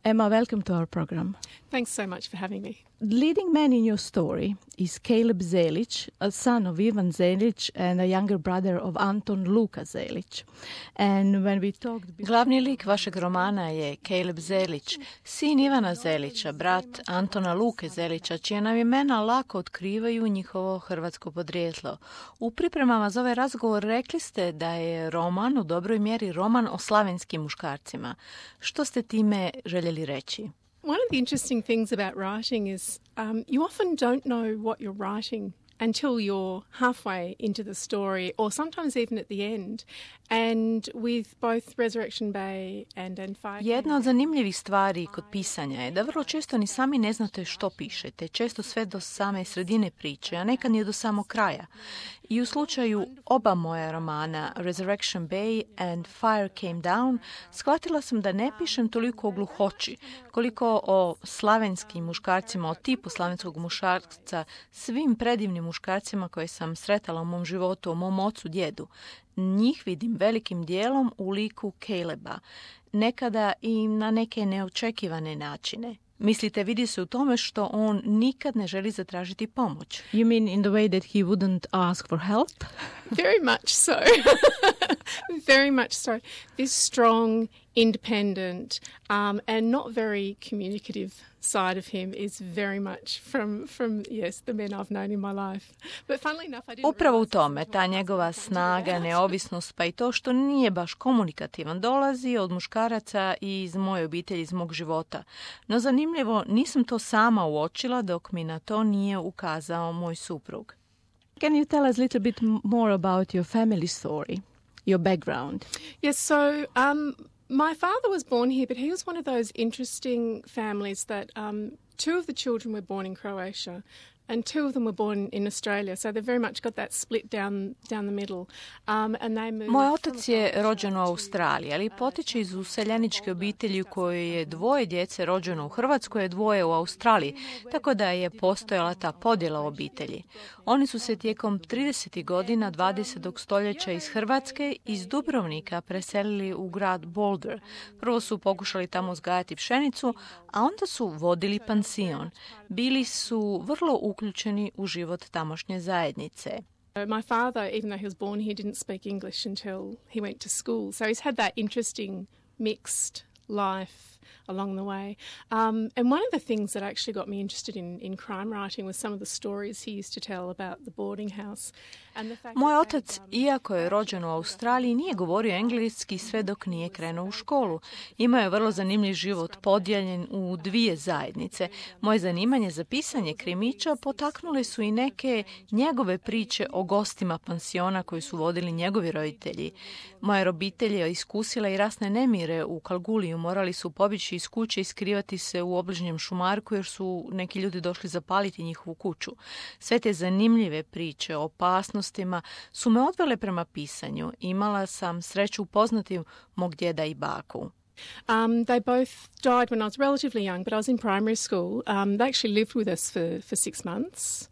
Emma, welcome to our program. Thanks so much for having me. The leading man in your story is Caleb Zelic, a son of Ivan Zelic and a younger brother of Anton Luka Zelic. And when we talked before... Glavni lik vašeg romana je Caleb Zelic, sin Ivana Zelića, brat Antona Luke Zelića, čija nam imena lako otkrivaju njihovo hrvatsko podrijetlo. U pripremama za ovaj razgovor rekli ste da je roman u dobroj mjeri roman o slavenskim muškarcima. Što ste time željeli reći? One of the interesting things about writing is you often don't know what you're writing until you're halfway into the story, or sometimes even at the end. And with both Resurrection Bay and Fire... Jedna od zanimljivih stvari kod pisanja je da vrlo često ni sami ne znate što pišete, često sve do same sredine priče, a nekad nije do samog kraja. I u slučaju oba moja romana, Resurrection Bay and Fire Came Down, shvatila sam da ne pišem toliko o gluhoći, koliko o slavenskim muškarcima, o tipu slavenskog muškarca, svim predivnim muškarcima koje sam sretala u mom životu, o mom ocu, djedu. Njih vidim velikim dijelom u liku Caleba, nekada i na neke neočekivane načine. Mislite, vidi se u tome što on nikad ne želi zatražiti pomoć. You mean in the way that he wouldn't ask for help? Very much so. Very much so. This strong, independent, and not very communicative side of him is very much from yes, the men I've known in my life. But funnily enough, I didn't... Upravo u tome, ta njegova snaga, neovisnost, pa i to što nije baš komunikativan, dolazi od muškaraca iz moje obitelji, iz mog života. No zanimljivo, nisam to sama uočila dok mi na to nije ukazao moj suprug. Can you tell us a little bit more about your family story, your background? Yes, so my father was born here, but he was one of those interesting families that two of the children were born in Croatia and two of them were born in Australia, so they've very much got that split down the middle. And they moved... Moj otac je rođen u Australiji, ali potiče iz useljeničke obitelji u kojoj je dvoje djece rođeno u Hrvatskoj, a dvoje u Australiji, tako da je postojala ta podjela u obitelji. Oni su se tijekom 30. godina 20. stoljeća iz Hrvatske, iz Dubrovnika, preselili u grad Boulder. Prvo su pokušali tamo uzgajati pšenicu, a onda su vodili pansion. Bili su vrlo uključeni u život tamošnje zajednice. My father, even though he was born here, didn't speak English until he went to school. So he's had that interesting mixed life along the way. And one of the things that actually got me interested in crime writing was some of the stories he used to tell about the boarding house. And the fact Moj otac, iako je rođen u Australiji, nije govorio engleski sve dok nije krenuo u školu. Imao je vrlo zanimljiv život podijeljen u dvije zajednice. Moje zanimanje za pisanje krimića potaknule su i neke njegove priče o gostima pansiona koji su vodili njegovi roditelji. Moja obitelj je iskusila i rasne nemire u Kalguliju. Morali su pobjeći iz kuće i skrivati se u obližnjem šumarku jer su neki ljudi došli zapaliti njihovu kuću. Sve te zanimljive priče o opasnostima su me odvele prema pisanju. Imala sam sreću upoznati mog djeda i baku. They both died when I was relatively young, but I was in primary school. They actually lived with us for 6 months.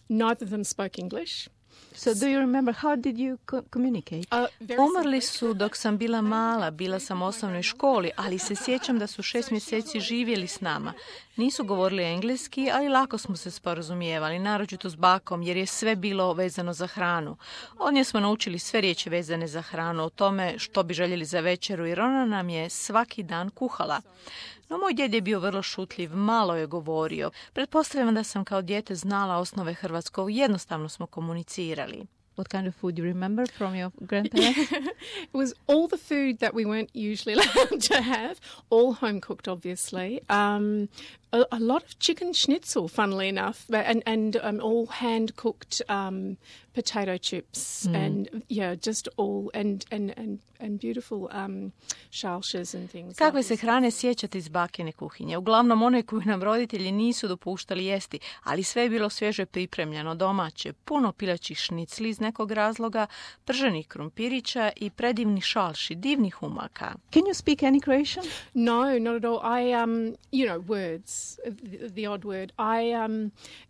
Neither of them spoke English. So do you remember how did you communicate? Umrli su dok sam bila mala, bila sam u osnovnoj školi, ali se sjećam da su 6 mjeseci živjeli s nama. Nisu govorili engleski, ali lako smo se sporazumijevali, naročito s bakom, jer je sve bilo vezano za hranu. Od nje smo naučili sve riječi vezane za hranu, o tome što bi željeli za večeru, jer ona nam je svaki dan kuhala. No moj djed je bio vrlo šutljiv, malo je govorio. Pretpostavljam da sam kao dijete znala osnove hrvatskog, jednostavno smo komunicirali. What kind of food you remember from your grandparents? It was all the food that we weren't usually allowed to have, all home cooked, obviously. A lot of chicken schnitzel, funnily enough, and all hand cooked potato chips, and just all and beautiful šalšes and things. Kakve se hrane sjećate iz bakine kuhinje? Uglavnom one koju nam roditelji nisu dopuštali jesti, ali sve je bilo svježe pripremljeno, domaće, puno pilećih šnicli iz nekog razloga, prženih krumpirića i predivni šalši, divnih umaka. Can you speak any Croatian? No, not at all. I, words. is the odd word.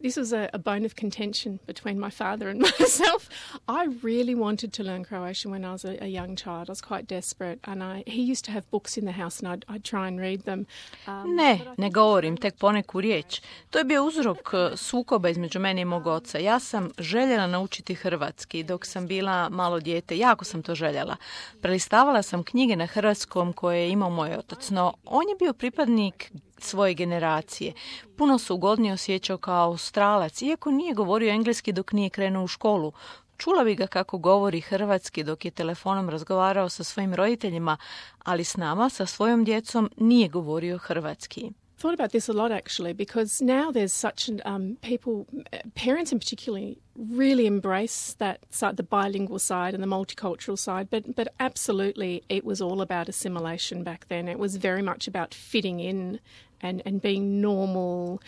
This was a bone of contention between my father and myself. I really wanted to learn Croatian when I was a young child. I was quite desperate, and he used to have books in the house, and I'd try and read them. Ne govorim tek poneku riječ. To je bio uzrok sukoba između mene i mog oca. Ja sam željela naučiti hrvatski dok sam bila malo dijete. Jako sam to željela. Prelistavala sam knjige na hrvatskom koje je imao moj otac, no on je bio pripadnik svoje generacije. Puno se ugodnije osjećao kao Australac, iako nije govorio engleski dok nije krenuo u školu. Čula bi ga kako govori hrvatski dok je telefonom razgovarao sa svojim roditeljima, ali s nama, sa svojom djecom, nije govorio hrvatski. Thought about this a lot actually, because now there's such parents in particular really embrace the bilingual side and the multicultural side, but absolutely it was all about assimilation back then. It was very much about fitting in and being normal.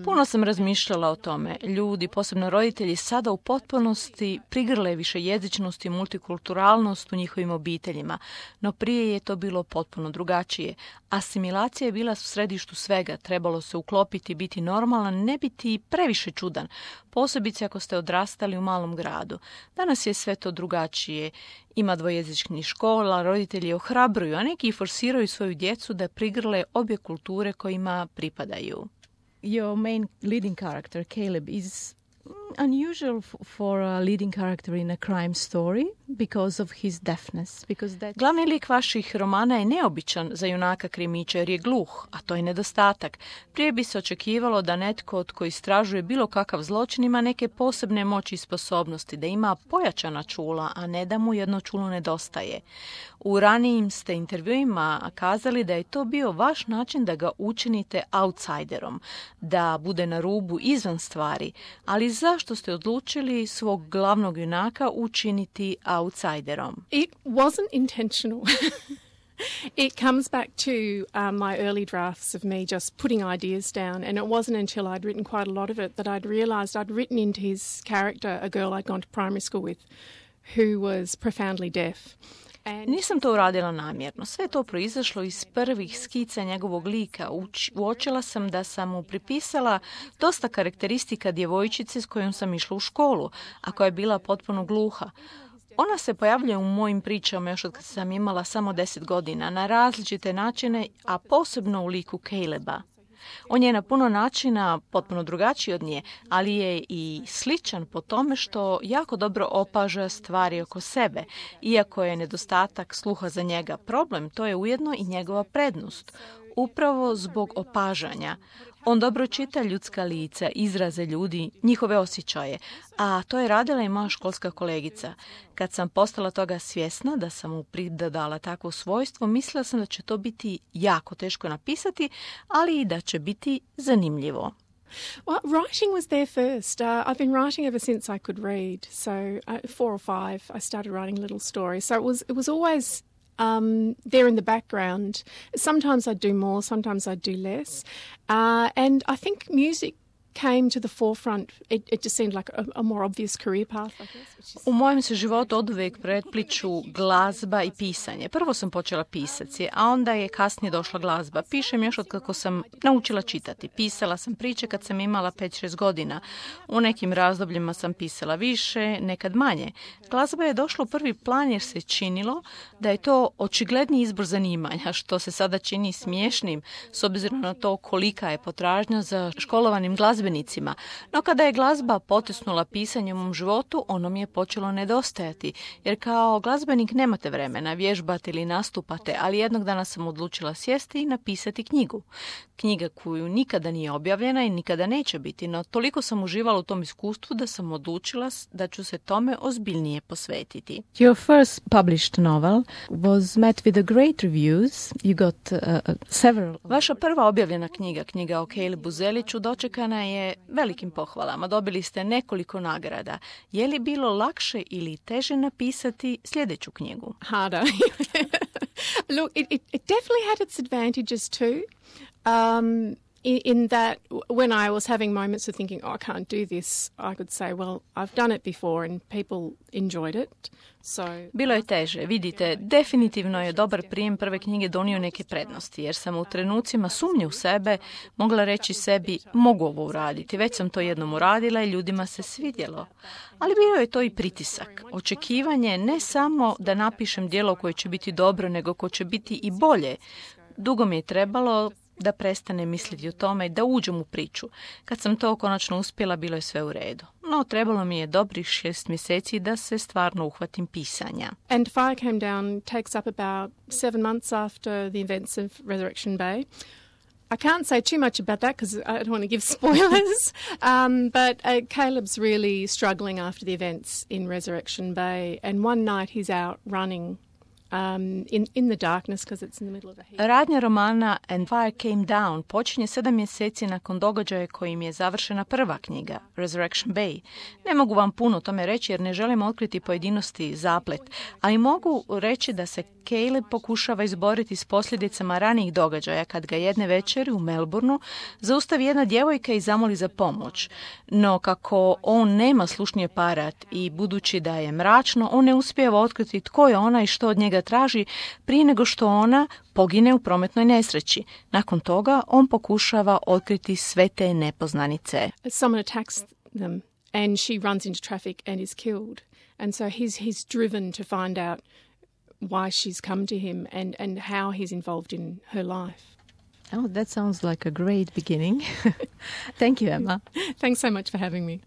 Puno sam razmišljala o tome. Ljudi, posebno roditelji, sada u potpunosti prigrle višejezičnost i multikulturalnost u njihovim obiteljima, no prije je to bilo potpuno drugačije. Asimilacija je bila u središtu svega, trebalo se uklopiti, biti normalan, ne biti previše čudan, posebice ako ste odrastali u malom gradu. Danas je sve to drugačije. Ima dvojezičnih škola, roditelji ohrabruju, a neki forsiraju svoju djecu da prigrle obje kulture kojima pripadaju. Your main leading character, Caleb, is unusual for a leading character in a crime story because of his deafness. Glavni lik vaših romana je neobičan za junaka krimića jer je gluh, a to je nedostatak. Prije bi se očekivalo da netko od koji istražuje bilo kakav zločin ima neke posebne moći i sposobnosti, da ima pojačana čula, a ne da mu jedno čulo nedostaje. U ranijim ste intervjuima kazali da je to bio vaš način da ga učinite outsiderom, da bude na rubu izvan stvari, ali zašto ste odlučili svog glavnog junaka učiniti outsiderom? It wasn't intentional. It comes back to my early drafts of me just putting ideas down, and it wasn't until I'd written quite a lot of it that I'd realised I'd written into his character a girl I'd gone to primary school with who was profoundly deaf. Nisam to uradila namjerno. Sve to proizašlo iz prvih skica njegovog lika. Uočila sam da sam mu pripisala dosta karakteristika djevojčice s kojom sam išla u školu, a koja je bila potpuno gluha. Ona se pojavljuje u mojim pričama još od kad sam imala samo 10 godina, na različite načine, a posebno u liku Caleba. On je na puno načina potpuno drugačiji od nje, ali je i sličan po tome što jako dobro opaža stvari oko sebe. Iako je nedostatak sluha za njega problem, to je ujedno i njegova prednost. Upravo zbog opažanja. On dobro čita ljudska lica, izraze ljudi, njihove osjećaje, a to je radila i moja školska kolegica. Kad sam postala toga svjesna da sam mu pridodala takvo svojstvo, mislila sam da će to biti jako teško napisati, ali i da će biti zanimljivo. Well, writing was there first. I've been writing ever since I could read. So 4 or 5, I started writing little stories. So it was always there in the background. Sometimes I'd do more, sometimes I'd do less. And I think music came to the forefront. It just seemed like a more obvious career path, I guess. U mojem se životu oduvijek prepliču glazba i pisanje. Prvo sam počela pisati, a onda je kasnije došla glazba. Pišem još od kako sam naučila čitati. Pisala sam priče kad sam imala 5-6 godina. U nekim razdobljima sam pisala više, nekad manje. Glazba je došla u prvi plan jer se činilo da je to očigledni izbor zanimanja, što se sada čini smiješnim s obzirom na to kolika je potražnja za školovanim glazbenicima. No kada je glazba potisnula pisanje u mom životu, ono mi je počelo nedostajati, jer kao glazbenik nemate vremena vježbati ili nastupate, ali jednog dana sam odlučila sjesti i napisati knjigu. Knjiga koju nikada nije objavljena i nikada neće biti, no toliko sam uživala u tom iskustvu da sam odlučila da ću se tome ozbiljnije posvetiti. Your first published novel was met with a great reviews. You got several. Vaša prva objavljena knjiga o Calebu Zeliću, dočekana je velikim pohvalama. Dobili ste nekoliko nagrada. Je li bilo lakše ili teže napisati sljedeću knjigu? Harder. Look, it definitely had its advantages too. in that when I was having moments of thinking, oh, I can't do this, I could say, well, I've done it before and people enjoyed it. So... Bilo je teže. Vidite, definitivno je dobar prijem prve knjige donio neke prednosti, jer sam u trenucima sumnje u sebe mogla reći sebi, mogu ovo uraditi, već sam to jednom uradila i ljudima se svidjelo. Ali bio je to i pritisak. Očekivanje ne samo da napišem djelo koje će biti dobro, nego koje će biti i bolje. Dugo mi je trebalo da prestane misliti o tome i da uđem u priču. Kad sam to konačno uspjela, bilo je sve u redu. No, trebalo mi je dobrih 6 mjeseci da se stvarno uhvatim pisanja. And Fire Came Down takes up about 7 months after the events of Resurrection Bay. I can't say too much about that because I don't want to give spoilers, but Caleb's really struggling after the events in Resurrection Bay, and one night he's out running in the darkness because it's in the middle of a heat. Radnja romana And Fire Came Down počinje 7 mjeseci nakon događaja kojim je završena prva knjiga, Resurrection Bay. Ne mogu vam puno o tome reći jer ne želim otkriti pojedinosti i zaplet, ali mogu reći da se Caleb pokušava izboriti s posljedicama ranijih događaja kad ga jedne večeri u Melbourneu zaustavi jedna djevojka i zamoli za pomoć. No kako on nema slušni aparat i budući da je mračno, on ne uspijeva otkriti tko je ona i što od njega traži prije nego što ona pogine u prometnoj nesreći. Nakon toga on pokušava otkriti sve te nepoznanice. Someone attacks them and she runs into traffic and is killed. And so he's driven to find out why she's come to him and how he's involved in her life. Oh, that sounds like a great beginning. Thank you, Emma. Thanks so much for having me.